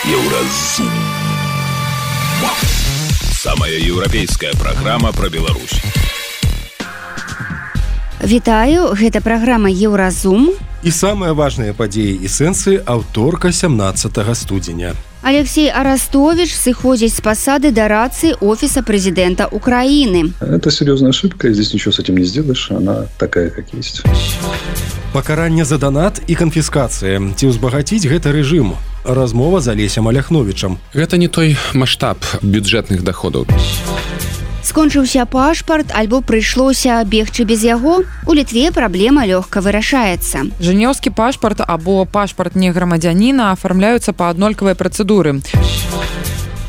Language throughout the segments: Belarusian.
Еўразум. Самая еўрапейская праграма пра Беларусь. Вітаю, гэта праграма Еўразум. І самыя важныя падзеі і сэнсы аўторка 17 студзеня. Алексей Арастович сыходзіць с посады дарадцы офиса президента Украины. Это серьезная ошибка, и здесь ничего с этим не сделаешь, она такая, как есть. Пакаранне за донат і канфіскацыя. Ці ўзбагаціць гэта рэжым? Размова з Алесем Аляхновічам. Гэта не той маштаб бюджэтных доходаў. Скончыўся пашпарт, альбо прыйшлося бегчы без яго? У Літве праблема лёгка вырашаецца. Жэнеўскі пашпарт або пашпарт неграмадзяніна афармляюцца па аднолькавай працэдуры.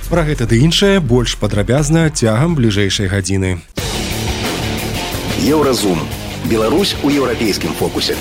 Пра гэта ды іншае больш падрабязна цягам бліжэйшай гадзіны. Еўразум. Беларусь у еўрапейскім фокусе.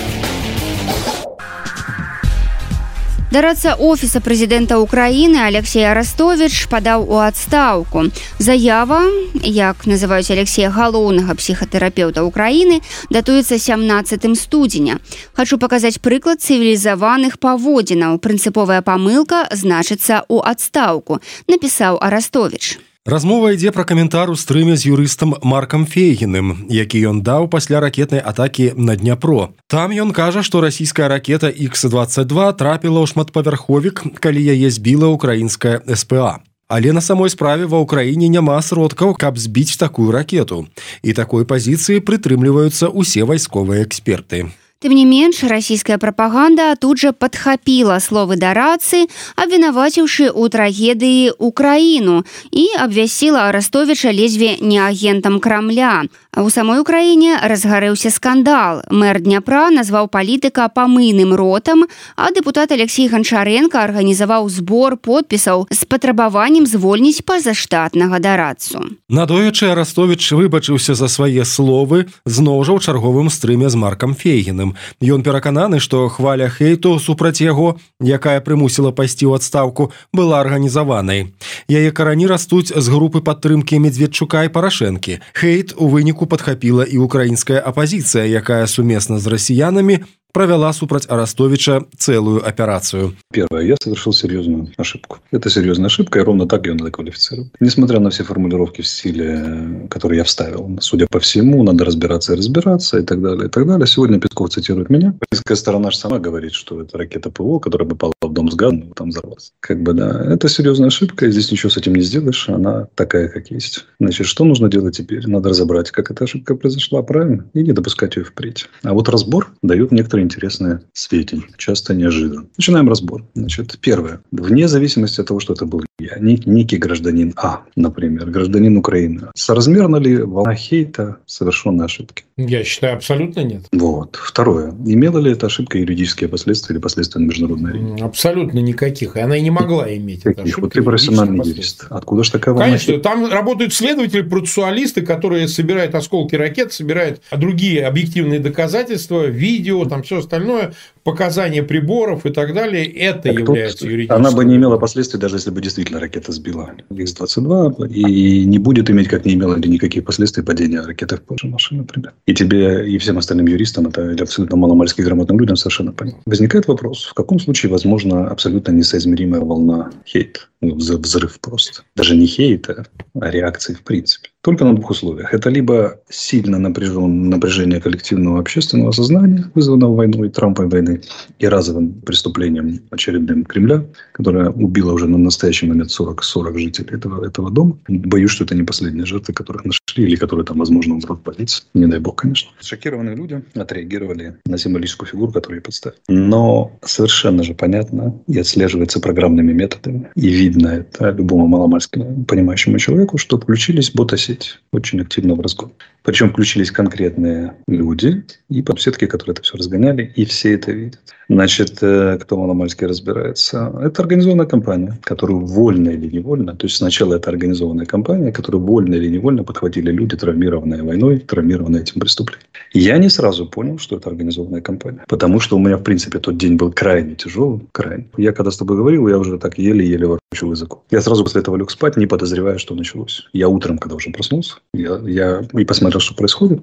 Дарадца офіса прэзідэнта Украіны Алексей Арастович падаў у адстаўку. Заява, як называюць Алексея, галоўнага псіхатэрапеўта Украіны, датуецца 17 студзеня. Хачу паказаць прыклад цывілізаваных паводзінаў. Прынцыповая памылка значыцца ў адстаўку, напісаў Арастович. Размова ідзе пра каментар у стрыме з юрыстам Маркам Фейгіным, які ён даў пасля ракетнай атакі на Дняпро. Там ён кажа, што расійская ракета Х-22 трапіла ў шматпавярховік, калі яе збіла ўкраінская СПА. Але на самой справе ва ўкраіне няма сродкаў, каб збіць такую ракету. І такой пазіцыі прытрымліваюцца ўсе вайсковыя эксперты. Тым не менш, расійская прапаганда тут жа падхапіла словы дарадцы, абвінаваціўшы ў трагедыі Украіну і абвясціла Арастовіча ледзьве не агентам Крамля. А ў самой Украіне разгарэўся скандал. Мэр Дняпра назваў палітыка памыйным ротам, а дэпутат Алексей Ганчаренко арганізаваў збор подпісаў з патрабаваннем звольніць пазаштатнага дарадцу. Надоечы Арастович выбачыўся за свае словы зноў жа ў чарговым стрыме з Маркам Фейгіным. Ён перакананы, што хваля хейту супраць яго, якая прымусіла пайсці ў адстаўку, была арганізаванай. Яе карані растуць з групы падтрымкі Медведчука і Парашэнкі. Хейт у выніку падхапіла і украінская апазіцыя, якая сумесна з расіянамі провела супраць Арастовича целую операцию. Первое. Я совершил серьезную ошибку. Это серьезная ошибка, и ровно так ее надо квалифицировать. Несмотря на все формулировки в стиле, которые я вставил, судя по всему, надо разбираться и разбираться, и так далее, и так далее. Сегодня Песков цитирует меня. Украинская сторона же сама говорит, что это ракета ПВО, которая попала в дом с газом, и там взорвалась. Да, это серьезная ошибка, и здесь ничего с этим не сделаешь, она такая, как есть. Значит, что нужно делать теперь? Надо разобрать, как эта ошибка произошла, правильно? И не допускать ее впредь. А вот разбор дает некоторые интересные сведения, часто неожиданно. Начинаем разбор. Значит, первое. Вне зависимости от того, что это был я, некий гражданин А, например, гражданин Украины, соразмерна ли волна хейта совершенной ошибки? Я считаю, абсолютно нет. Вот. Второе. Имела ли эта ошибка юридические последствия или последствия на международной арене? Абсолютно никаких. И она и не могла иметь. Каких? Вот ты профессиональный юрист. Откуда же такая волна? Конечно. Там работают следователи, процессуалисты, которые собирают осколки ракет, собирают другие объективные доказательства, видео, там все остальное, показания приборов и так далее. Это так является юридическим. Она бы не имела последствий, даже если бы действительно ракета сбила Х-22, и не будет иметь, как не имела ли никаких последствий падения ракеты в Польшу машины, например. И тебе, и всем остальным юристам, это или абсолютно маломальски грамотным людям совершенно понятно. Возникает вопрос, в каком случае возможна абсолютно несоизмеримая волна хейта? Взрыв просто. Даже не хейта, а реакции в принципе. Только на двух условиях. Это либо сильно напряжение коллективного общественного сознания, вызванного войной, Трамповой войны, и разовым преступлением очередным Кремля, которое убило уже на настоящий момент 40 жителей этого дома. Боюсь, что это не последние жертвы, которых нашли, или которые там, возможно, умрут в больнице. Не дай бог, конечно. Шокированные люди отреагировали на символическую фигуру, которую я подставил. Но совершенно же понятно и отслеживается программными методами, и видно это любому маломальски понимающему человеку, что включились бота-сети очень активно в разгон. Причем включились конкретные люди и подсетки, которые это все разгоняли, и все это видят. Значит, кто маломальски разбирается, это организованная компания, которую вольно или невольно, то есть сначала это организованная компания, которую вольно или невольно подхватили люди, травмированные войной, травмированные этим преступлением. Я не сразу понял, что это организованная компания, потому что у меня, в принципе, тот день был крайне тяжелым, крайне. Я когда с тобой говорил, я уже так еле-еле ворочил языком. Я сразу после этого лег спать, не подозревая, что началось. Я утром, когда уже проснулся, я и посмотрел, что происходит,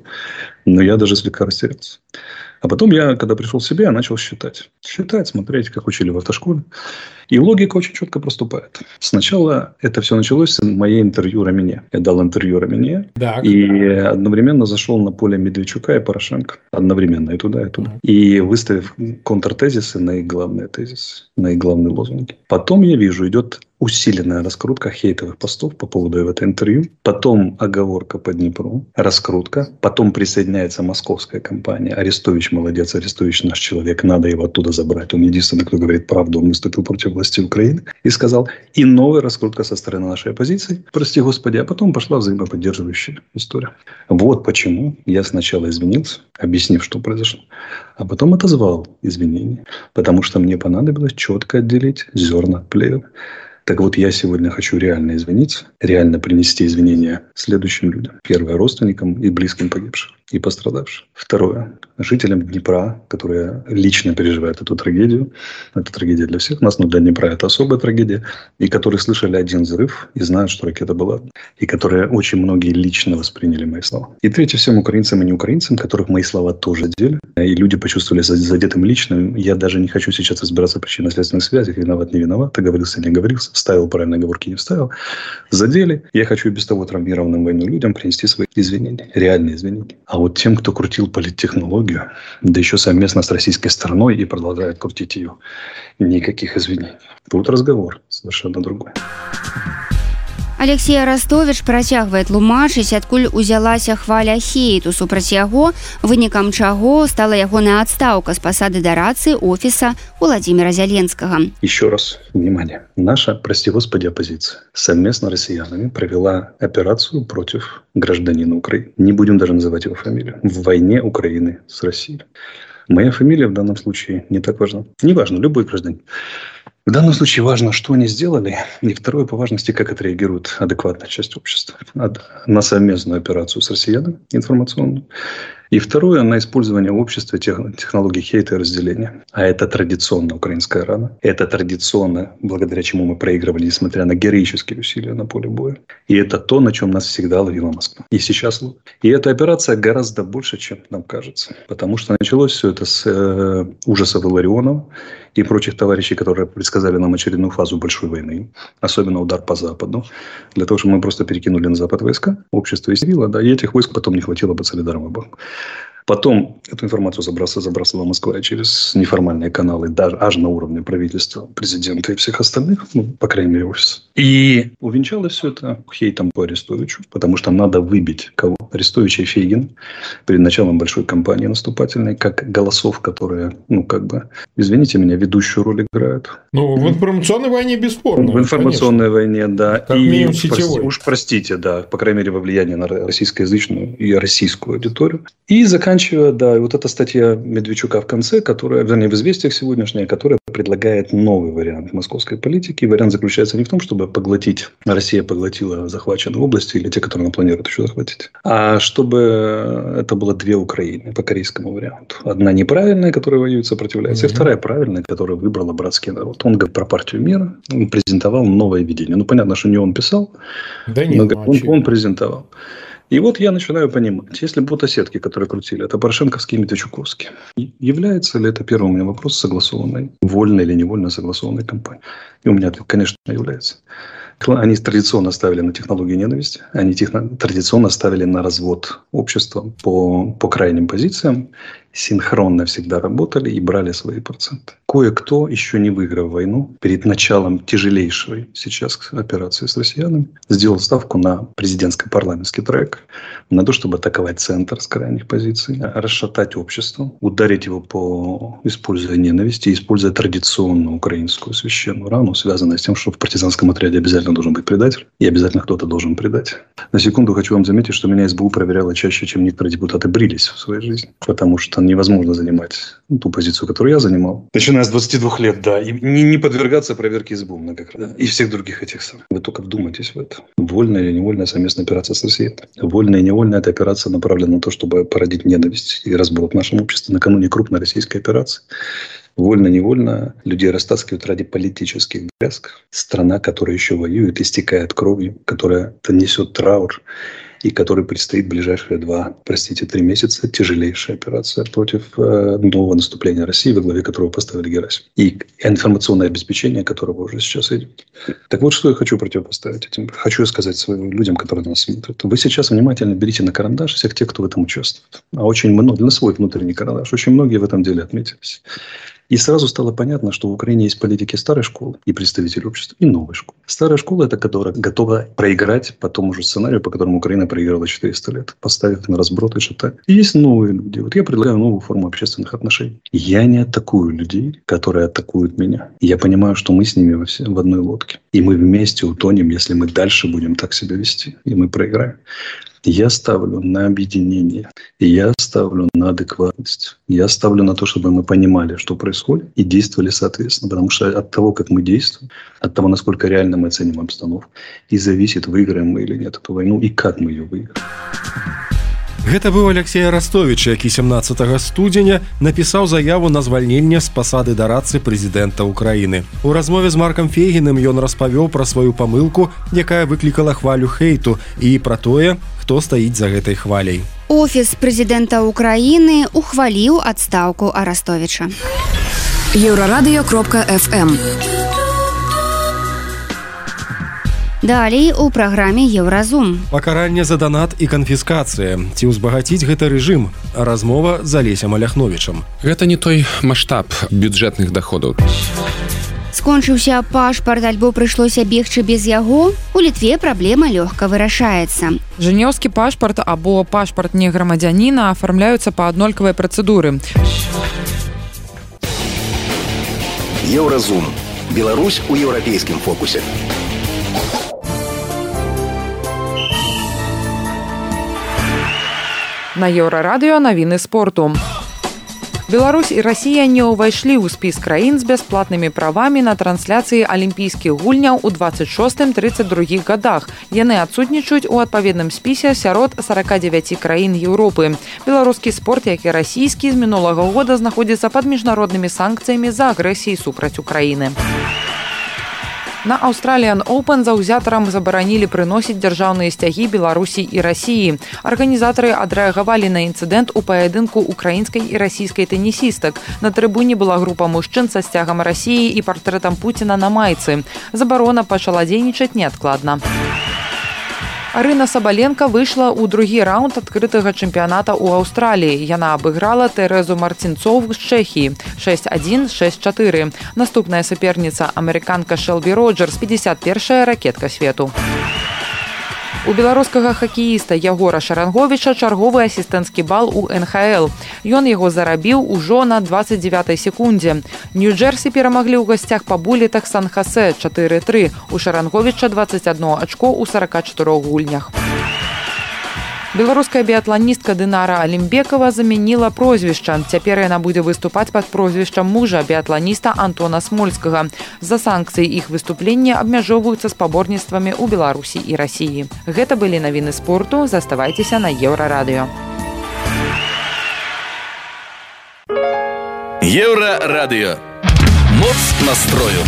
но я даже слегка растерялся. А потом я, когда пришел в себя, начал считать. Считать, смотреть, как учили в автошколе. И логика очень четко проступает. Сначала это все началось с моей интервью Рамине. Я дал интервью Рамине. И одновременно зашел на поле Медведчука и Порошенко. Одновременно и туда, и туда. И выставив контртезисы на их главные тезисы, на их главные лозунги. Потом я вижу, идет усиленная раскрутка хейтовых постов по поводу этого интервью. Потом оговорка по Днепру, раскрутка. Потом присоединяется московская компания. Арестович молодец, Арестович наш человек, надо его оттуда забрать. Он единственный, кто говорит правду, он выступил против власти Украины. И сказал, и новая раскрутка со стороны нашей оппозиции. Прости господи, а потом пошла взаимоподдерживающая история. Вот почему я сначала извинился, объяснив, что произошло. А потом отозвал извинения. Потому что мне понадобилось четко отделить зерна от плевел. Так вот, я сегодня хочу реально извиниться, реально принести извинения следующим людям. Первое, родственникам и близким погибших и пострадавших. Второе, жителям Днепра, которые лично переживают эту трагедию. Это трагедия для всех нас, но для Днепра это особая трагедия. И которые слышали один взрыв и знают, что ракета была. И которые очень многие лично восприняли мои слова. И третье, всем украинцам и неукраинцам, которых мои слова тоже задели. И люди почувствовали задетым лично. Я даже не хочу сейчас разбираться в причинно-следственных связях. Виноват, не виноват, договорился, не договорился. Вставил правильные оговорки, не вставил. Задели. Я хочу и без того травмированным войной людям принести свои извинения. Реальные извинения. А вот тем, кто крутил политтехнологию, да еще совместно с российской стороной и продолжает крутить ее, никаких извинений. Тут разговор совершенно другой. Алексей Арестович працягвае тлумачыць, адкуль узялася хваля хейту супраць яго, вынікам чаго стала ягоная адстаўка з пасады дарацы офіса Владимира Зеленского. Еще раз, внимание. Наша, прости господи, оппозиция совместно с россиянами провела операцию против гражданина Украины. Не будем даже называть его фамилию. В войне Украины с Россией. Моя фамилия в данном случае не так важна. Неважно, любой гражданин. В данном случае важно, что они сделали, и второе по важности, как отреагирует адекватная часть общества на совместную операцию с россиянами информационную. И второе, на использование в обществе технологий хейта и разделения. А это традиционно украинская рана. Это традиционно, благодаря чему мы проигрывали, несмотря на героические усилия на поле боя. И это то, на чем нас всегда ловила Москва. И сейчас ловит. И эта операция гораздо больше, чем нам кажется. Потому что началось все это с ужасов Илларионова и прочих товарищей, которые предсказали нам очередную фазу большой войны. Особенно удар по Западу. Для того, чтобы мы просто перекинули на Запад войска. Общество истерило, да, и этих войск потом не хватило бы Солидарного банка. Потом эту информацию забрасывала Москва через неформальные каналы, даже аж на уровне правительства, президента и всех остальных, ну, по крайней мере, офиса. И увенчалось все это хейтом по Арестовичу, потому что надо выбить кого? Арестовича и Фейгина перед началом большой кампании наступательной, как голосов, которые, ну, как бы, извините меня, ведущую роль играют. Ну, в информационной войне бесспорно. В информационной войне, да. Как минимум сетевой. Уж простите, да, по крайней мере, во влияние на российскоязычную и российскую аудиторию. И заканчивая, да, и вот эта статья Медведчука в конце, которая, вернее, в «Известиях» сегодняшняя, которая предлагает новый вариант московской политики. И вариант заключается не в том, чтобы поглотить, Россия поглотила захваченные области или те, которые она планирует еще захватить, а чтобы это было две Украины по корейскому варианту. Одна неправильная, которая воюет, сопротивляется, и вторая правильная, которая выбрала братский народ. Он говорит про партию мира, он презентовал новое видение. Ну, понятно, что не он писал, да нет, но он презентовал. И вот я начинаю понимать, если ботосетки, которые крутили, это порошенковские и медведчуковские, является ли это, первый у меня вопрос, согласованной, вольно или невольно согласованной кампанией? И у меня ответ, конечно, является. Они традиционно ставили на технологию ненависти, они традиционно ставили на развод общества по крайним позициям, синхронно всегда работали и брали свои проценты. Кое-кто, еще не выиграв войну, перед началом тяжелейшей сейчас операции с россиянами, сделал ставку на президентско-парламентский трек, на то, чтобы атаковать центр с крайних позиций, расшатать общество, ударить его используя ненависть и используя традиционную украинскую священную рану, связанную с тем, что в партизанском отряде обязательно должен быть предатель, и обязательно кто-то должен предать. На секунду хочу вам заметить, что меня СБУ проверяла чаще, чем некоторые депутаты брились в своей жизни, потому что невозможно занимать ту позицию, которую я занимал, начиная с 22 лет, да, и не подвергаться проверке СБУ многократно, да, и всех других этих самых. Вы только вдумайтесь в это. Вольная или невольная совместная операция с Россией. Вольная и невольная эта операция направлена на то, чтобы породить ненависть и разброд в нашем обществе накануне крупной российской операции. Вольно-невольно людей растаскивают ради политических дрязг. Страна, которая еще воюет, истекает кровью, которая несет траур. и которой предстоит в ближайшие 3 месяца тяжелейшая операция против нового наступления России, во главе которого поставили Герасимова. И информационное обеспечение которого уже сейчас идет. Так вот, что я хочу противопоставить этим. Хочу сказать своим людям, которые нас смотрят. Вы сейчас внимательно берите на карандаш всех тех, кто в этом участвует. А очень много, на свой внутренний карандаш. Очень многие в этом деле отметились. И сразу стало понятно, что в Украине есть политики старой школы и представители общества, и новой школы. Старая школа – это которая готова проиграть по тому же сценарию, по которому Украина проиграла 400 лет, поставив на разброд и шатание. И есть новые люди. Вот я предлагаю новую форму общественных отношений. Я не атакую людей, которые атакуют меня. Я понимаю, что мы с ними в одной лодке. И мы вместе утонем, если мы дальше будем так себя вести. И мы проиграем. Я ставлю на объединение, я ставлю на адекватность, я ставлю на то, чтобы мы понимали, что происходит, и действовали соответственно. Потому что от того, как мы действуем, от того, насколько реально мы оценим обстановку, и зависит, выиграем мы или нет эту войну, и как мы ее выиграем. Гэта быў Алексей Арастович, які 17 студзеня напісаў заяву на звальненне з пасады дарадцы прэзідэнта Украіны. У размове з Маркам Фейгіным ён распавёў пра сваю памылку, якая выклікала хвалю хейту, і пра тое, хто стаіць за гэтай хваляй. Офіс прэзідэнта Украіны ухваліў адстаўку Арастовіча. Еўрарадыё.фм. Далей у праграме Еўразум. Пакаранне за данат і канфіскацыя. Ці ўзбагаціць гэта рэжым? Размова з Алесем Аляхновічам. Гэта не той маштаб бюджэтных даходаў. Скончыўся пашпарт, альбо прыйшлося бегчы без яго? У Літве праблема лёгка вырашаецца. Жэнеўскі пашпарт або пашпарт неграмадзяніна афармляюцца па аднолькавай працэдуры. Еўразум. Беларусь у еўрапейскім фокусе. На Еўрарадыё навіны спорту. Беларусь і Расія не ўвайшлі ў спіс краін з бясплатнымі правамі на трансляцыі алімпійскіх гульняў у 26-32 годах. Яны адсутнічаюць у адпаведным спісе сярод 49 краін Еўропы. Беларускі спорт, як і расійскі, з мінулага года знаходзіцца пад міжнароднымі санкцыямі за агрэсіяй супраць Украіны. На Australian Open заўзятарам забаранілі прыносіць дзяржаўныя сцягі Беларусі і Расіі. Арганізатары адрэагавалі на інцыдэнт у паядынку украінскай і расійскай тэнісістак. На трыбуне была група мужчын са сцягам Расіі і партрэтам Пуціна на майцы. Забарона пачала дзейнічаць неадкладна. Арына Сабаленка выйшла ў другі раунд адкрытага чэмпіяната ў Аўстраліі. Яна абыграла Тэрэзу Марцінцоў з Чэхіі 6-1, 6-4. Наступная саперніца амерыканка Шэлбі Роджерс, 51-я ракетка свету. У беларускага хакеіста Ягора Шаранговіча чарговы асістэнцкі бал у НХЛ. Ён яго зарабіў ужо на 29-й секундзе. Нью-Джерсі перамаглі ў гасцях па булетах Сан-Хасе 4-3. У Шаранговіча 21 ачко ў 44 гульнях. Беларуская біятланістка Дынара Алімбекова замяніла прозвішча. Цяпер яна будзе выступаць пад прозвішчам мужа біятланіста Антона Смольскага. З-за санкцый іх выступлення абмяжоўваюцца спаборніцтвамі ў Беларусі і Расіі. Гэта былі навіны спорту. Заставайцеся на Еўрарадыё. Еўрарадыё. Моц настрою.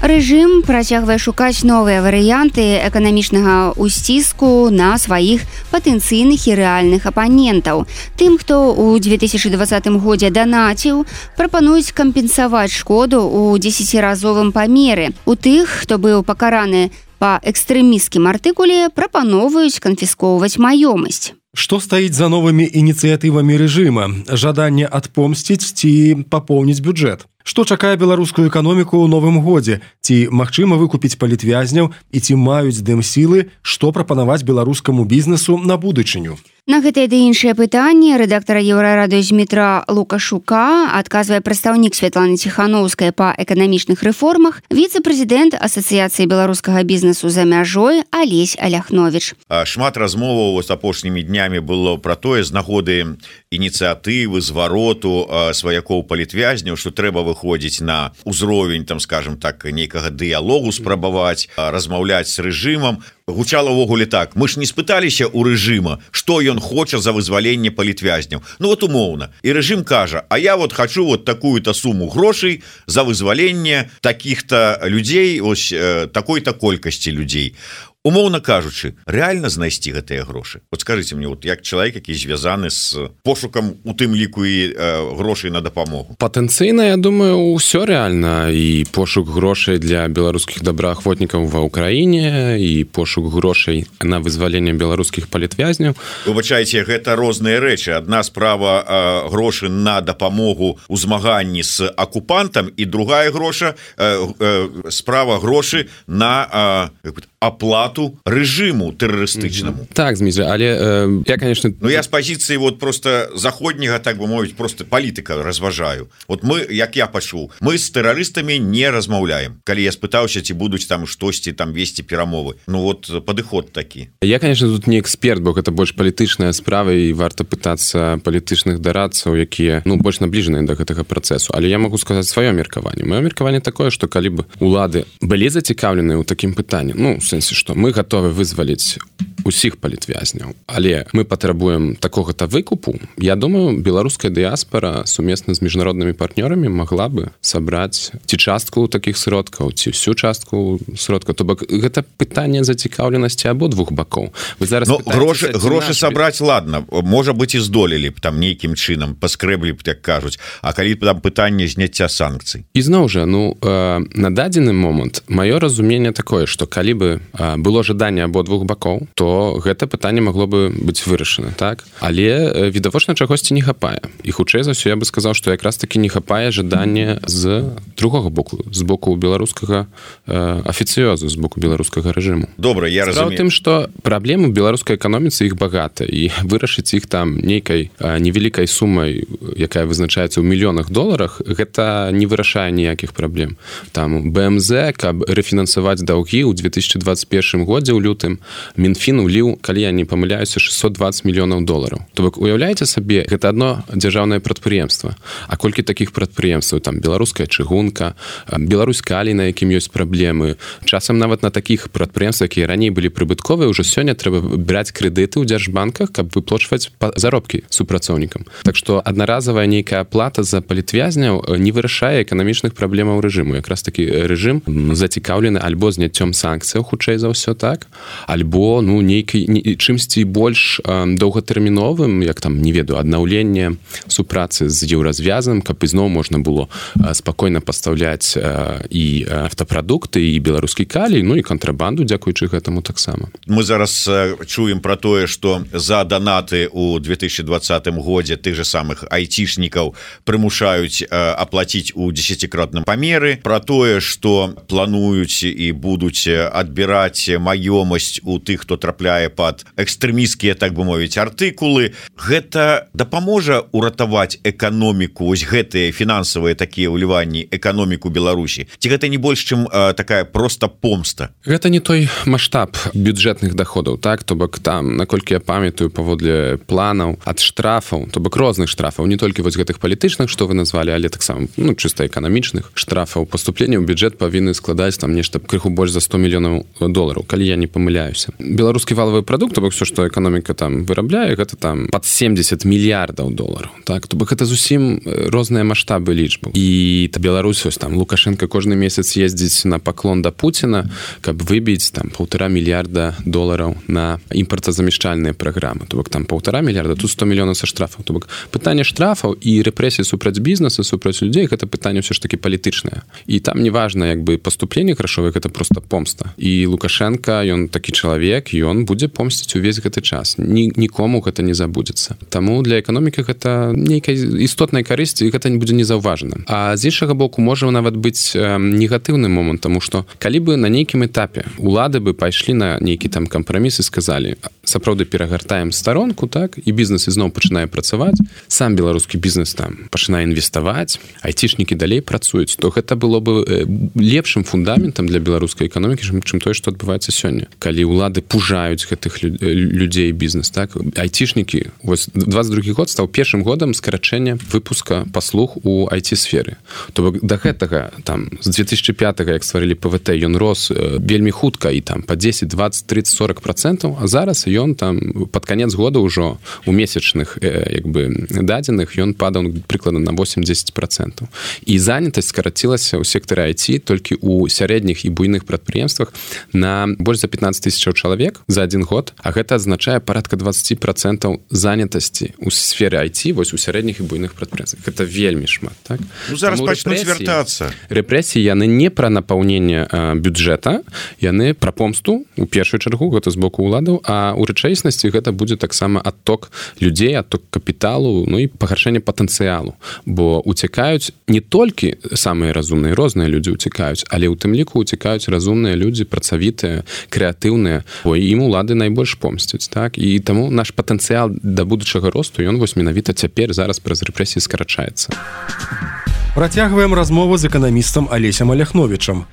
Рэжым працягвае шукаць новыя варыянты эканамічнага ўсціску на сваіх патэнцыйных і рэальных апанентаў. Тым, хто ў 2020 годзе данаціў, прапануюць кампенсаваць шкоду ў 10-разовым памеры. У тых, хто быў пакараны па экстрэмісцкім артыкуле, прапановваюць канфіскоўваць маёмасць. Што стаіць за новымі ініцыятывамі рэжыма? Жаданне адпомсціць ці папоўніць бюджэт? Што чакае беларускую эканоміку ў новым годзе? Ці магчыма выкупіць палітвязняў і ці маюць дэмсілы, што прапанаваць беларускаму бізнесу на будучыню? На гэтае ды іншыя пытанні рэдактара Еўрарадыё Змітра Лукашука адказвае прадстаўнік Святланы Ціханаўскай па эканамічных рэформах, віцэ-прэзідэнт Асацыяцыі беларускага бізнесу за мяжой Алесь Аляхновіч. Шмат размоваў апошнімі днямі было пра тое з нагоды ініцыятывы звароту сваякоў палітвязняў, што трэба выходзіць на ўзровень, там, скажем так, нейкага дыялогу спрабаваць, размаўляць з рэжымам. Гучала ўвогуле так: мы ж не спыталіся ў рэжыма, што ён хоча за вызваленне палітвязняў. Ну вот умоўна. І рэжым кажа: а я вот хочу вот такую-то суму грошай за вызваленне такіх-то людзей, ось такой-то колькасці людзей. умоўна кажучы, реально знайсці гэтыя грошы? Вот скажите мне, вот як чалавек, які звязаны з пошукам у тым ліку і грошай на дапамогу. Патэнцыйна, я думаю, ўсё рэальна, і пошук грошай для беларускіх добраахвотнікаў ва ўкраіне, і пошук грошай на вызваленне беларускіх палітвязняў. Выбачайце, гэта розныя рэчы. Адна справа грошы на дапамогу ў змаганні з акупантам, і другая справа грошы на аплату рэжыму тэрарыстычнаму. Так, Змітрий, але я, конечно... Ну, я з пазіцыі вот просто заходняга, так бы мовіць, просто палітыка разважаю. Вот мы, як я пачуў, мы з тэрарыстамі не размаўляем. Калі я спытаўся, ці будуць там штосьці там весці перамовы. Ну вот падыход такі. Я, конечно, тут не эксперт, бо гэта больш палітычная справа, і варта пытацца палітычных дарадцаў, якія, ну, больш набліжаныя да гэтага працэсу. Але я могу сказаць сваё меркаванне. Маё меркаванне такое, што калі б улады былі зацікаўленыя ў такім пытанні, ну, в сэнсе, што мы гатовы вызваліць усіх палітвязняў, але мы патрабуем такога-то выкупу, я думаю, беларуская дыяспара сумесна з міжнароднымі партнёрамі магла бы сабраць ці частку такіх сродкаў, ці всю частку сродкаў. То бок гэта пытанне зацікаўленасці абодвух бакоў. Вы зараз грошы сабраць, ладно, можа быць, і здолелі б там нейкім чынам, паскрэблі б, як кажуць, а калі там пытанне зняцця санкцый. І зноў жа, ну, на дадзены момант маё разуменне такое, што калі бы было жаданне абодвух бакоў, то гэта пытанне магло бы быць вырашана, так? Але відавочна чагосьці не хапае. І хутчэй за ўсё я бы сказаў, што якраз такі не хапае жаданне з другога боку, з боку беларускага афіцыёзу, з боку беларускага рэжыму. Добра, я разумею. Справа ў тым, што праблемы беларускай эканоміцы іх багата, і вырашыць іх там нейкай невялікай сумай, якая вызначаецца ў мільёнах доларах, гэта не вырашае ніякіх праблем. Там БМЗ, каб рэфінансаваць даўгі ў 2021 годзе ў лютым, Мінфін уліў, калі я не памыляюся, 620 мільёнаў долараў. То бок, уяўляеце сабе, гэта адно дзяржаўнае прадпрыемства. А колькі такіх прадпрыемстваў? Там беларуская чыгунка, Беларусь-Калій, на якім ёсць праблемы. Часам нават на такіх прадпрыемствах, якія раней былі прыбытковыя, ўжо сёння трэба браць крэдыты ў дзяржбанках, каб выплачваць заробкі супрацоўнікам. Так што аднаразавая нейкая аплата за палітвязняў не вырашае эканамічных праблемаў рэжыму. Якраз такі рэжым зацікаўлены альбо зняццём санкцыяў, хутчэй за ўсё, так? Альбо, ну, чымсьці больш доўгатэрміновым, як там, не ведаю, аднаўленне супрацы з еўразвязам, каб ізноў можна было спакойна пастаўляць і автапрадукты, і беларускі калій, ну і кантрабанду, дзякуючы гэтаму таксама. Мы зараз чуем пра тое, што за данаты ў 2020 годзе тых же самых айцішнікаў прымушаюць аплаціць у 10-кратным памеры, пра тое, што плануюць і будуць адбіраць маёмасць у тых, хто трапляе пад экстрэмісцкія, так бы мовіць, артыкулы. Гэта дапаможа уратаваць эканоміку, вось гэтыя фінансавыя такія ўліванні, эканоміку Беларусі? Ці гэта не больш, чым такая проста помста? Гэта не той маштаб бюджэтных даходаў, так? То бок там, наколькі я памятаю, паводле планаў, ад штрафаў, то бок розных штрафаў, не толькі вось гэтых палітычных, што вы назвалі, але таксама, ну, чыста эканамічных штрафаў. Паступленне ў бюджэт павінны складаць там нешта крыху больш за 100 мільёнаў долараў, калі я не памыляюся. Беларускі валавы прадукт, то бок все, што эканоміка там вырабляе, гэта там пад 70 мільярдаў долараў, так? То бок гэта зусім розныя маштабы лічбаў. І Беларусь, ось там Лукашенко кожны месяц ездзіць на паклон да Пуціна, каб выбіць там 1,5 мільярда долараў на імпартазамяшчальныя праграмы. То бок там 1,5 мільярда, тут 100 мільёнаў са штрафаў. То бок пытанне штрафаў і рэпрэсіі супраць бізнеса, супраць людзей, гэта пытанне ўсё ж такі палітычнае. І там неважна, як бы паступленне грашовае, гэта проста помста. І Лукашенко, ён такі чалавек, ён будзе помсціць увесь гэты час. Нікому гэта не забудзецца. Таму для эканомікі гэта нейкай істотнай карысці, і гэта не будзе незаўважана. А з іншага боку, можа нават быць негатыўны момант, таму што калі бы на нейкім этапе улады бы пайшлі на нейкі там кампраміс і сказалі, сапраўды перагартаем старонку, так, і бізнес ізноў пачынае працаваць, сам беларускі бізнес там пачынае інвеставаць, айцішнікі далей працуюць, то гэта было бы лепшым фундаментам для беларускай эканомікі, чым тое, што адбываецца сёння. Калі улады пужаюць гэтых людзей бізнес, так, айцішнікі, вось 22 год стаў першым годам скарачэння выпуска паслуг у айці-сферы. То бок да гэтага там з 2005 як стварылі ПВТ ён рос вельмі хутка і там по 10, 20, 30, 40%, а зараз ён там под конец года ўжо у месячных як бы дадзеных ён падаў прыкладна на 80%. І занятасць скарацілася ў сектары IT толькі у сярэдніх і буйных прадпрыемствах на больш за 15 000 чалавек за один год, а гэта азначае парадка 20% занятасці ў сфере IT вось у сярэдніх і буйных прадпрыемствах. Гэта вельмі шмат, так? Ну, зараз пачнуць вяртацца. Рэпрэсіі яны не пра напаўненне бюджэта, яны пра помсту у першую чаргу, гэта з боку ўладаў, а ў рэчаіснасці гэта будзе таксама адток людзей, адток капіталу, ну і пагаршэнне патэнцыялу, бо уцякаюць не толькі самыя разумныя, розныя людзі уцякаюць, але ў тым ліку уцякаюць разумныя людзі, працавітыя, крэатыўныя, бо ім улады найбольш помсцяць, так? І таму наш патэнцыял да будучага росту, ён вось менавіта цяпер зараз праз рэпрэсіі скарачаецца. Працягваем размову з эканамістам Алесем Аляхновічам.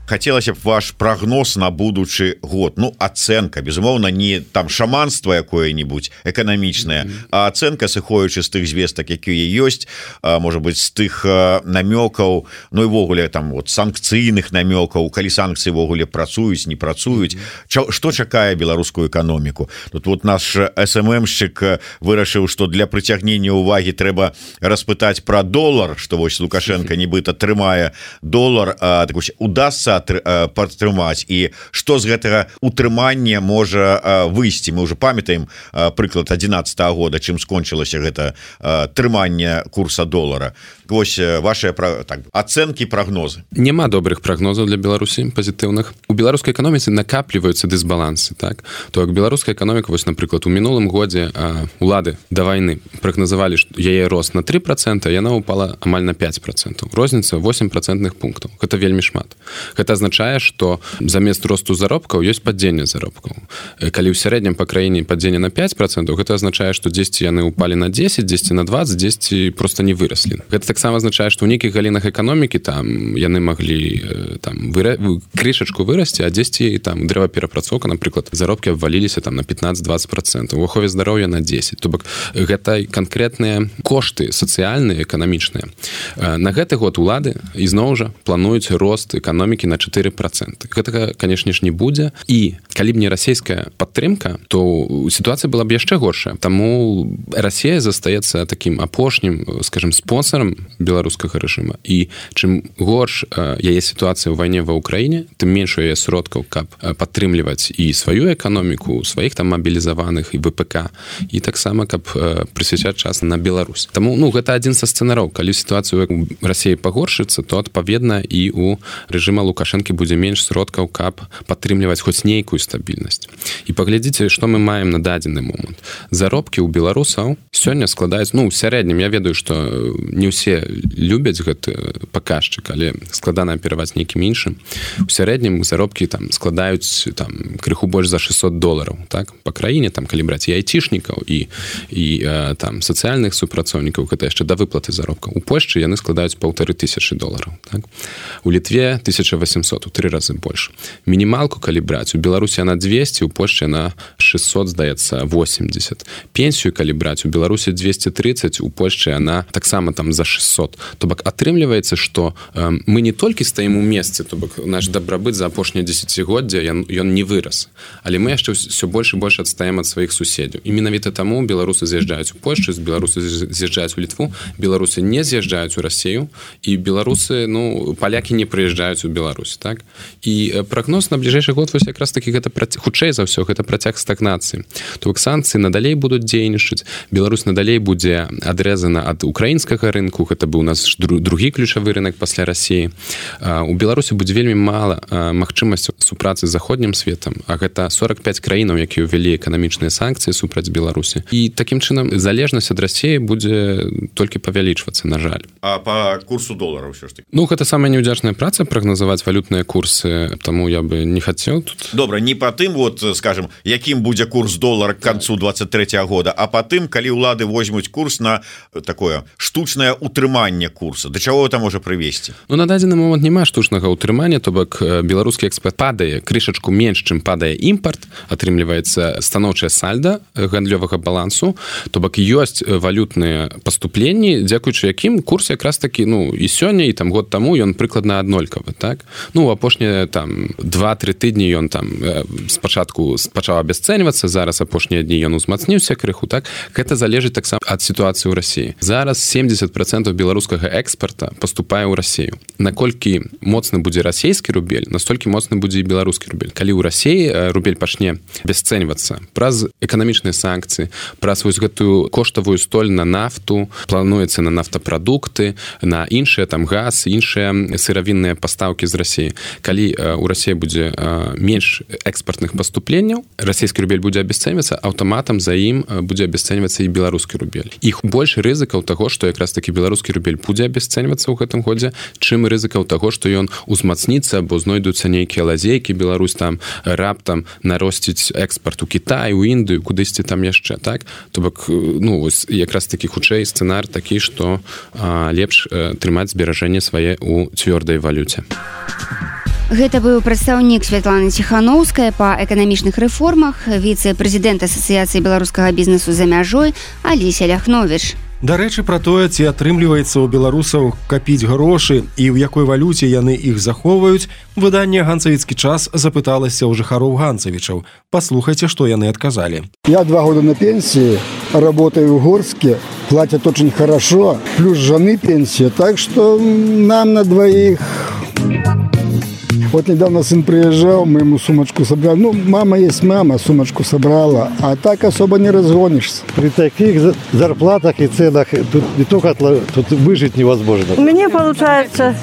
Хацелася б ваш прагноз на будучы год. Ну, ацэнка, безумоўна, не там шаманства якое-нибудь эканамічнае, а ацэнка, сыходзячы з тых звестак, якія ёсць, можа быць, з тых намёкаў, ну і ввогуле там вот санкцыйных намёкаў, калі санкцыі ввогуле працуюць, не працуюць. Што чакае беларускую эканоміку? Тут вот наш СММшчык вырашыў, што для прыцягнення ўвагі трэба распытаць пра долар, што вось Лукашенко нібыта трымае долар, так вось удасца падтрымаць, і што з гэтага утрымання можа выйсці. Мы ўжо памятаем прыклад 2011 года, чым скончылася гэта трыманне курса долара. Вось ваши ацэнкі, прагнозы. Няма добрых прагнозаў для Беларусі пазітыўных. У беларускай эканоміцы накапліваюцца дысбалансы, так? То як беларуская эканоміка, вось, напрыклад, у мінулым годзе улады да вайны прагназавалі, што яе рост на 3%, яна упала амаль на 5%. Розніца 8% пунктаў. Гэта вельмі шмат. Гэта азначае, што замест росту заробкаў ёсць падзенне заробкаў. Калі ў сярэднім па краіне падзенне на 5%, гэта азначае, што дзесьці яны ўпалі на 10, дзесьці на 20, дзесьці проста не выраслі. Гэта таксама азначае, што ў нейкіх галінах эканомікі там яны маглі там крышачку вырасці, а дзесьці там дрэваперапрацоўка, напрыклад, заробкі абваліліся там на 15-20%, у ахове здароўя на 10%. То бок гэта канкрэтныя кошты сацыяльныя, эканамічныя. На гэты год улады ізноў жа плануюць рост эканомікі на 4%. Гэтага, канешне ж, не будзе. І калі б не расійская падтрымка, то сітуацыя была б яшчэ горшая. Таму Расія застаецца такім апошнім, скажем, спонсорам беларускага рэжыма. І чым горш яе сітуацыя ў вайне ва Ўкраіне, тым менш у яе сродкаў, каб падтрымліваць і сваю эканоміку, сваіх там мабілізаваных і ВПК, і таксама, каб прысвячаць час на Беларусь. Таму, ну, гэта адзін са сцэнараў. Калі сітуацыя ў Расіі пагоршыцца, то, адпаведна, і у рэжыма Лукашэнкі будзе менш сродкаў, каб падтрымліваць хоць нейкую стабільнасць. І паглядзіце, што мы маем на дадзены момант. Заробкі ў беларусаў сёння складаюць, ну, ў сярэднім, я ведаю, што не ўсе любяць гэты паказчык, але складана апірваць нейкім іншым. У сярэднім заробкі там складаюць там крыху больш за $600, так? Па краіне, там, калі браць і айцішнікаў, і там сацыяльных супрацоўнікаў, гэта яшчэ да выплаты заробкаў. У Польшчы яны складаюць $1500, так? У Літве 1800, у 3 разы больш. Мінімалку, калі браць, у Беларусі яна 200, у Польшчы яна 600, здаецца, 80. Пенсію, калі браць, у Беларусі 230, у Польшчы яна таксама там за 600. То бок атрымліваецца, што мы не толькі стаім у месцы, то бок наш дабрабыт за апошняе дзесяцігоддзе ён не вырас, але мы яшчэ ўсё больш і больш адстаем ад сваіх суседзяў. І менавіта таму беларусы з'язджаюць у Польшчу, беларусы з'язджаюць у Літву, беларусы не з'язджаюць у Расію, і беларусы, ну, палякі не прыязджаюць у Беларусь, так? І прагноз на бліжэйшы год вось якраз такі гэта хутчэй за ўсё гэта працяг стагнацыі. То бок санкцыі надалей будуць дзейнічаць, Беларусь надалей будзе адрэзана ад украінскага рынку, гэта быў у нас другі ключавы рынок пасля Расіі. У Беларусі будзе вельмі мала магчымасць супрацы з заходнім светам, а гэта 45 краінаў, якія ўвялі эканамічныя санкцыі супраць Беларусі. І такім чынам залежнасць ад Расіі будзе толькі павялічвацца, на жаль. А па курсу долара ўсё ж такі? Ну, гэта самая неўдзячная праца, прагназаваць валютныя курсы, таму я бы не хацеў тут. Добра, не па тым, вот, скажем, якім будзе курс долара к канцу 23 года, а па тым, калі ўлады возьмуць курс на такое штучнае утрыманне курса. Да чаго это можа прывесці? Ну, на дадзены момант няма штучнага утрымання, то бок беларускі экспорт падае, крышачку менш, чым падае імпарт, атрымліваецца станоўчае сальда гандлёвага балансу, то бок ёсць валютныя паступленні, дзякуючы якім курс якраз такі, ну, і сёння, і там год таму ён прыкладна аднолькавы, так? Ну, апошнія там 2-3 тыдні ён там спачатку пачаў абясцэньвацца, зараз апошнія дні ён узмацніўся крыху, так? Гэта залежыць таксама ад сітуацыі ў Расіі. Зараз 70% беларускага экспорта паступае ў Расію. Наколькі моцны будзе расійскі рубель, настолькі моцны будзе і беларускі рубель. Калі ў Расіі рубель пачне абясцэньвацца праз эканамічныя санкцыі, праз вось гэтую коштавую столь на нафту, плануецца на нафтапрадукты, на іншыя там газ, іншыя сыравінныя пастаўкі з Расіі. Калі ў Расіі будзе менш экспартных паступленняў, расійскі рубель будзе абясцэньвацца, аўтаматам за ім будзе абясцэньвацца і беларускі рубель. Іх больш рызыкаў таго, што якраз такі беларускі рубель будзе абясцэньвацца ў гэтым годзе, чым рызыкаў таго, што ён узмацніцца, бо знойдуцца нейкія лазейкі, Беларусь там раптам наросціць экспарт у Кітай, у Індыю, кудысьці там яшчэ, так? То бок, ну, вось якраз такі хутчэй сцэнар такі, што лепш трымаць зберажэнне свае ў цвёрдай валюце. Гэта быў прадстаўнік Святланы Ціханаўскай па эканамічных рэформах, віцэ-прэзідэнт Асацыяцыі беларускага бізнесу за мяжой Алеся Ляхновіч. Дарэчы, пра тое, ці атрымліваецца ў беларусаў капіць грошы і ў якой валюце яны іх захоўваюць, выданне «Ганцавіцкі час» запыталася ў жыхароў ганцавічаў. Паслухайце, што яны адказалі. Я 2 года на пенсии, работаю в Горске, платят очень хорошо, плюс жены пенсия, так что нам на двоих... Вот недавно сын приезжал, мы ему сумочку собрали. Ну, мама есть мама, сумочку собрала, а так особо не разгонишься. При таких зарплатах и ценах тут не только тут выжить невозможно. У меня получается,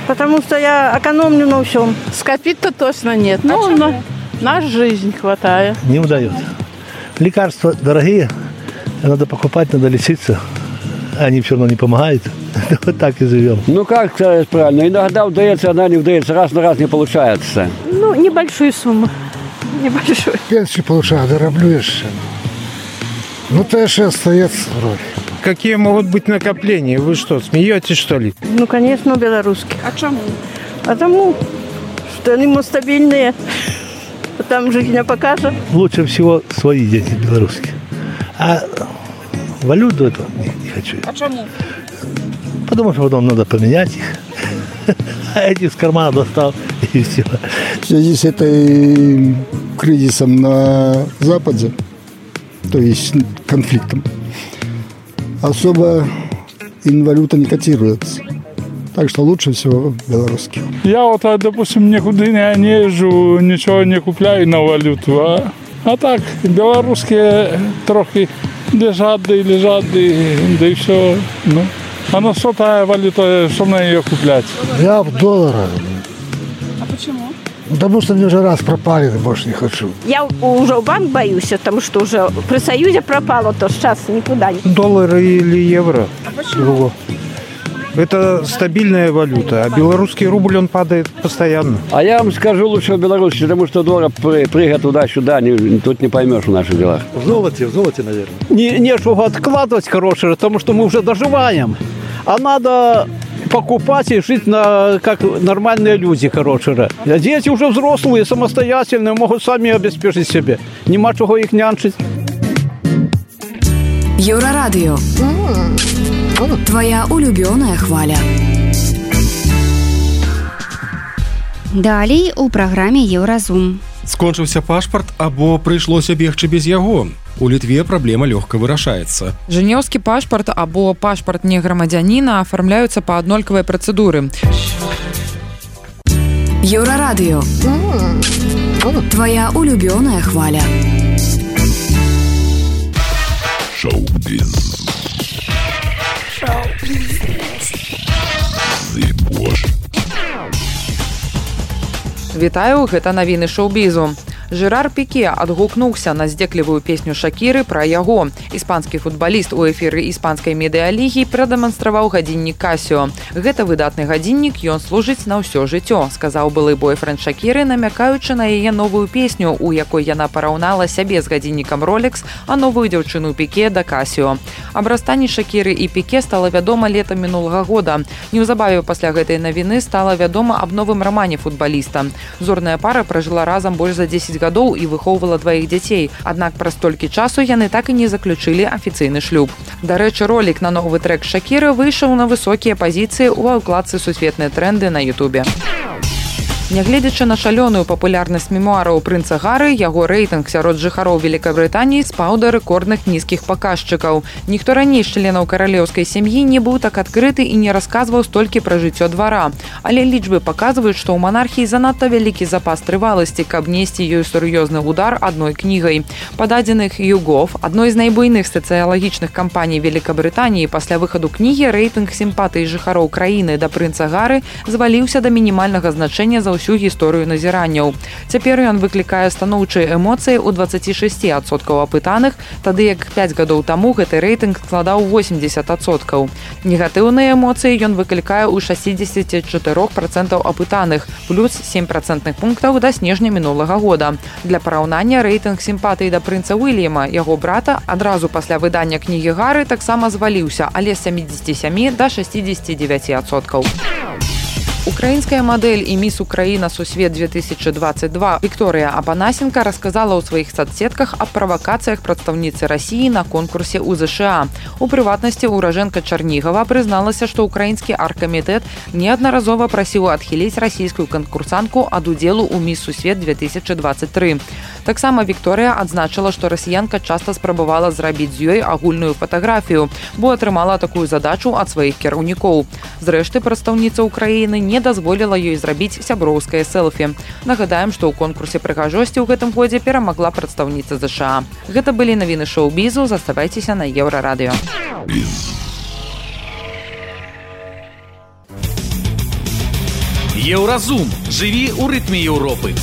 потому что я экономлю на всем. Скопить-то точно нет, но на жизнь хватает. Не удается. Лекарства дорогие, надо покупать, надо лечиться. Они все равно не помогают. Вот так и живем. Ну, как сказать правильно, иногда удается, иногда не удается, раз на раз не получается. Ну, небольшую сумму. Небольшую. Пенсию получаю, дороблю еще. Ну, тоже остается вроде. Какие могут быть накопления? Вы что, смеетесь, что ли? Ну, конечно, белорусских. А чему? Потому что они стабильные. Там жизнь не покажет. Лучше всего свои деньги белорусские. А валюту эту не хочу. А чему? Потому что потом надо поменять их. А эти из кармана достал и все. В связи с этой кризисом на Западе, то есть конфликтом, особо инвалюта не котируется. Так что лучше всего белорусских. Я вот, допустим, никуда не езжу, ничего не купляю на валюту. А так, белорусские трохи лежат, да и все. Ну. А на что та валюта, что на ее куплять? Я в долларах. А почему? Потому что мне уже раз пропали, больше не хочу. Я уже в банк боюсь, потому что уже при Союзе пропало, то сейчас никуда не... Доллары или евро? А почему? Это стабильная валюта, а белорусский рубль, он падает постоянно. А я вам скажу лучше в Беларуси, потому что доллар прыгает туда-сюда, тут не поймешь в наших делах. В золоте, наверное. Не чтобы откладывать хорошее, потому что мы уже доживаем. А надо покупать и жить как нормальные люди хорошие. А дети уже взрослые, самостоятельные, могут сами обеспечить себя. Нема чего их нянчить. Еврорадио. Твоя улюбёная хваля. Далей у праграме Еўразум. Скончыўся пашпарт або прыйшлося бегчы без яго. У Літве праблема лёгка вырашаецца. Жэнеўскі пашпарт або пашпарт неграмадзяніна афармляюцца па аднолькавай працэдуры. Еўрарадыё. Твоя улюбёная хваля. Шоу-біз. Вітаю, гэта навіны шоу-бізу. Жерар Піке адгукнуўся на здзеклівую песню Шакіры пра яго. Іспанскі футбаліст у эфіры іспанскай медыялігі прадэманстраваў гадзіннік Casio. Гэта выдатны гадзіннік, ён служыць на ўсё жыццё, сказаў былы бойфренд Шакіры, намякаючы на яе новую песню, у якой яна параўнала сябе з гадзіннікам Rolex, а новую дзяўчыну Піке да Casio. Аб расстанні Шакіры і Піке стала вядома летам мінулага года. Неўзабаве пасля гэтай навіны стала вядома аб новым рамане футбаліста. Зорная пара пражыла разам больш за 10 гадоў і выхоўвала 2 дзяцей. Аднак праз столькі часу яны так і не заключылі афіцыйны шлюб. Дарэчы, ролік на новы трэк Шакіры выйшаў на высокія пазіцыі ў аўкладцы «Сусветныя тренды» на Ютубе. Нягледзячы на шалёную папулярнасць мемуараў прынца Гары, яго рэйтынг сярод жыхароў Великабрытаніі спаў да рэкордных нізкіх паказчыкаў. Ніхто раней з членаў каралеўскай сям'і не быў так адкрыты і не расказваў столькі пра жыццё двара. Але лічбы паказваюць, што ў манархіі занадта вялікі запас трываласці, каб несці ёй сур'ёзны удар адной кнігай. Па дадзеных YouGov, адной з найбуйных сацыялагічных кампаній Великабрытаніі, пасля выхаду кнігі рэйтынг сімпатыі жыхароў краіны да прынца Гары зваліўся да мінімальнага значэння за ўсю гісторыю назіранняў. Цяпер ён выклікае станоўчыя эмоцыі ў 26% апытаных, тады як 5 гадоў таму гэты рэйтынг складаў 80%. Негатыўныя эмоцыі ён выклікае ў 64% апытаных, плюс 7% пунктаў да снежня мінулага года. Для параўнання рэйтынг сімпатыі да прынца Уільяма, яго брата, адразу пасля выдання кнігі Гары таксама зваліўся, але з 77 да 69%. Украінская мадэль і міс Украіна Сусвет 2022 Вікторыя Апанасенка расказала ў сваіх соцсетках аб правакацыях прадстаўніцы Расіі на конкурсе ў ЗША. У прыватнасці ўражэнка Чарнігава прызналася, што украінскі аргкамітэт неаднаразова прасіў адхіліць расійскую канкурсантку ад удзелу ў міс Сусвет 2023. Таксама Вікторыя адзначыла, што расіянка часта спрабавала зрабіць з ёй агульную фатаграфію, бо атрымала такую задачу ад сваіх кіраўнікоў. Зрэшты, прадстаўніца Украіны не дазволіла ёй зрабіць сяброўскае селфі. Нагадаем, што ў конкурсе прыгажосці ў гэтым годзе перамагла прадстаўніца ЗША. Гэта былі навіны шоу-бізу, заставайцеся на Еўрарадыё. Еўразум. Жыві ў рытме Еўропы.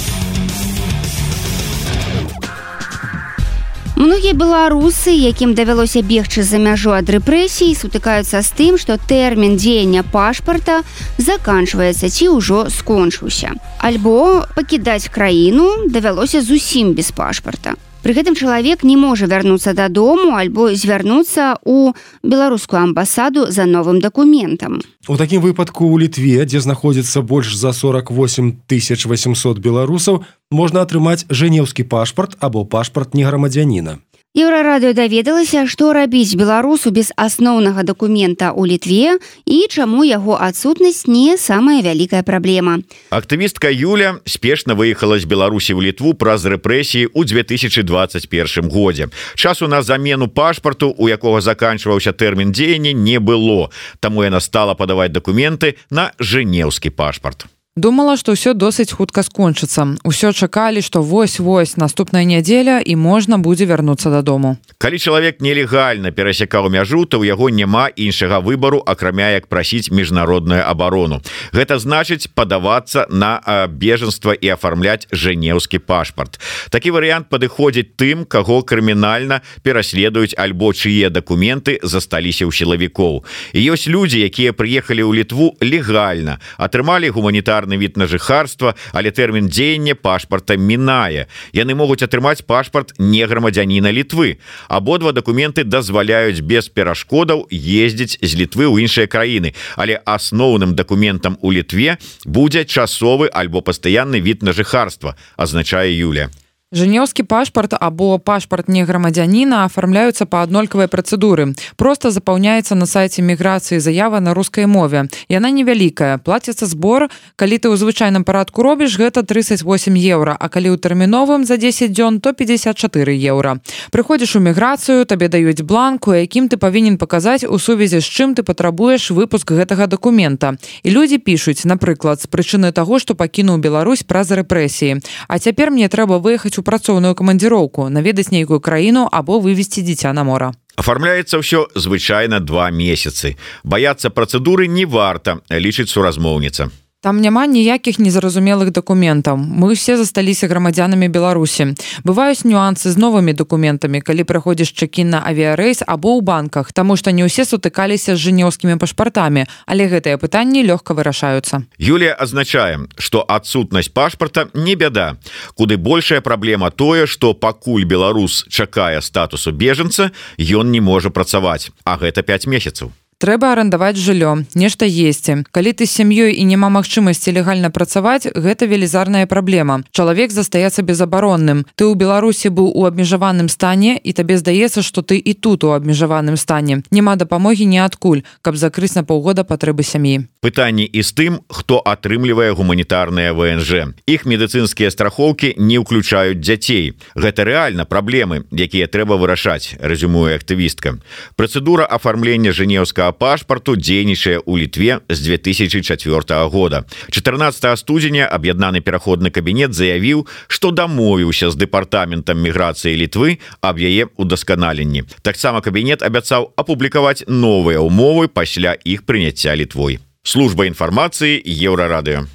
Многія беларусы, якім давялося бегчы за мяжу ад рэпрэсій, сутыкаюцца з тым, што тэрмін дзеяння пашпарта заканчваецца ці ўжо скончыўся. Альбо пакідаць краіну давялося зусім без пашпарта. Пры гэтым чалавек не можа вярнуцца дадому альбо звярнуцца ў беларускую амбасаду за новым дакументам. У такім выпадку ў Літве, дзе знаходзіцца больш за 48 800 беларусаў, можна атрымаць жэнеўскі пашпарт або пашпарт неграмадзяніна. Еўрарадыё даведалася, што рабіць беларусу без асноўнага дакумента ў Літве і чаму яго адсутнасць не самая вялікая праблема. Актывістка Юля спешна выехала з Беларусі ў Літву праз рэпрэсіі ў 2021 годзе. Часу на замену пашпарту, у якога заканчваўся тэрмін дзеяння, не было, таму яна стала падаваць дакументы на жэнеўскі пашпарт. Думала, што ўсё досыць хутка скончыцца. Усё чакалі, што вось-вось наступная нядзеля і можна будзе вярнуцца дадому. Калі чалавек нелегальна перасякаў мяжу, то ў яго няма іншага выбару, акрамя як прасіць міжнародную абарону. Гэта значыць падавацца на бежанства і афармляць жэнеўскі пашпарт. Такі варыянт падыходзіць тым, каго крымінальна пераследуюць альбо чые дакументы засталіся ў сілавікоў. І ёсць людзі, якія прыехалі ў Літву легальна, атрымалі гуманітарны від на жыхарства, але тэрмін дзеяння пашпарта мінае. Яны могуць атрымаць пашпарт неграмадзяніна Літвы. Абодва дакументы дазваляюць без перашкодаў ездзіць з Літвы ў іншыя краіны, але асноўным дакументам у Літве будзе часовы альбо пастаянны від на жыхарства, азначае Юля. Жэнеўскі пашпарт або пашпарт неграмадзяніна афармляюцца па аднолькавай працэдуры. Проста запаўняецца на сайце міграцыі заява на рускай мове. Яна невялікая. Плаціцца збор. Калі ты ў звычайным парадку робіш, гэта 38 еўра, а калі ў тэрміновым за 10 дзён, то 54 еўра. Прыходзіш у міграцыю, табе даюць бланк, у якім ты павінен паказаць, у сувязі з чым ты патрабуеш выпуск гэтага дакумента. І людзі пішуць, напрыклад, з прычыны таго, што пакінуў Беларусь праз рэпрэсіі. А цяпер мне трэба выехаць у працоўную камандзіроўку, наведаць нейкую краіну або вывезці дзіця на мора. Афармляецца ўсё звычайна 2 месяцы. Баяцца працэдуры не варта, лічыць суразмоўніца. Там няма ніякіх незразумелых дакументаў. Мы ўсе засталіся грамадзянамі Беларусі. Бываюць нюансы з новымі дакументамі, калі праходзіш чэк-ін на авіярэйс або ў банках, таму што не ўсе сутыкаліся з жэнеўскімі пашпартамі, але гэтыя пытанні лёгка вырашаюцца. Юлія адзначае, што адсутнасць пашпарта не бяда. Куды большая праблема тое, што пакуль беларус чакае статусу бежанца, ён не можа працаваць, а гэта 5 месяцаў. Трэба арандаваць жыллё, нешта есці. Калі ты з сям'ёй і няма магчымасці легальна працаваць, гэта велізарная праблема. Чалавек застаецца безабаронным. Ты ў Беларусі быў у абмежаваным стане, і табе здаецца, што ты і тут у абмежаваным стане. Няма дапамогі ніадкуль, каб закрыць на паўгода патрэбы сям'і. Пытанні і з тым, хто атрымлівае гуманітарныя ВНЖ. Іх медыцынскія страхоўкі не ўключаюць дзяцей. Гэта рэальна праблемы, якія трэба вырашаць, рэзюмуе актывістка. Працэдура афармлення жэнеўскага пашпарту дзейнічае ў Літве з 2004 года. 14 студзеня аб'яднаны пераходны кабінет заявіў, што дамовіўся з дэпартаментам міграцыі Літвы аб яе удасканаленні. Таксама кабінет абяцаў апублікаваць новыя ўмовы пасля іх прыняцця Літвой. Служба інфармацыі Еўрарадыё.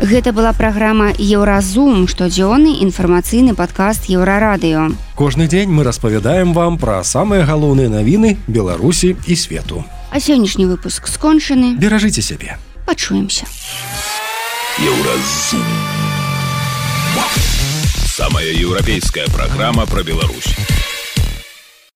Гэта была праграма «Еўразум», штодзённы інфармацыйны падкаст Еўрарадыё. Кожны дзень мы распавядаем вам пра самыя галоўныя навіны Беларусі і свету. А сённяшні выпуск скончаны. Беражыце сябе. Пачуемся. Еўразум. Самая еўрапейская праграма пра Беларусь.